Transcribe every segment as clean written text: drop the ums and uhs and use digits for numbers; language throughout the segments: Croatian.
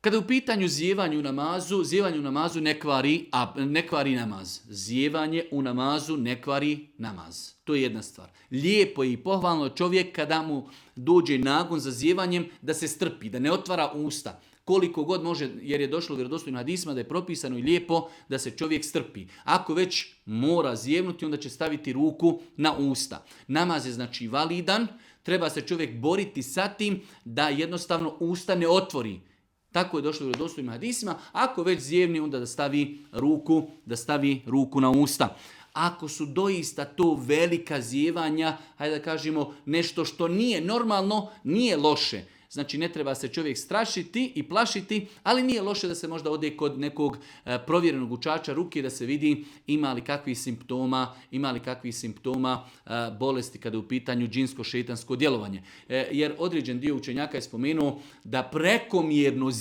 Kada je u pitanju zjevanje u namazu ne kvari namaz. Zjevanje u namazu ne kvari namaz. To je jedna stvar. Lijepo je i pohvalno čovjek kada mu dođe nagon za zjevanjem da se strpi, da ne otvara usta. Koliko god može, jer je došlo u vjerodostojnim hadisima da je propisano i lijepo da se čovjek strpi. Ako već mora zjevnuti, onda će staviti ruku na usta. Namaz je znači validan, treba se čovjek boriti sa tim da jednostavno usta ne otvori. Tako je došlo u vjerodostojnim hadisima. Ako već zjevni, onda da stavi ruku na usta. Ako su doista to velika zjevanja, hajde da kažemo nešto što nije normalno, nije loše. Znači ne treba se čovjek strašiti i plašiti, ali nije loše da se možda ode kod nekog provjerenog učača ruke da se vidi ima li kakvih simptoma bolesti kada je u pitanju džinsko-šeitansko djelovanje. Jer određen dio učenjaka je spomenuo da prekomjerno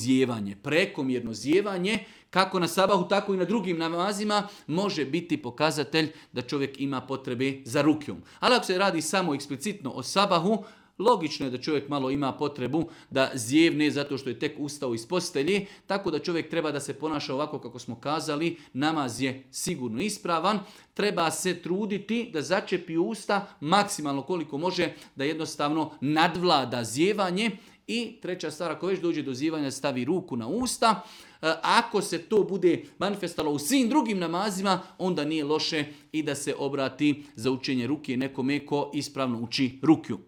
zjevanje kako na sabahu, tako i na drugim namazima može biti pokazatelj da čovjek ima potrebe za rukjom. Ali ako se radi samo eksplicitno o sabahu, logično je da čovjek malo ima potrebu da zjevne zato što je tek ustao iz postelje, tako da čovjek treba da se ponaša ovako kako smo kazali, namaz je sigurno ispravan, treba se truditi da začepi usta maksimalno koliko može, da jednostavno nadvlada zjevanje. I treća stvar, ako već dođe do zjevanja, stavi ruku na usta. Ako se to bude manifestalo u svim drugim namazima, onda nije loše i da se obrati za učenje ruke nekome ko ispravno uči rukju.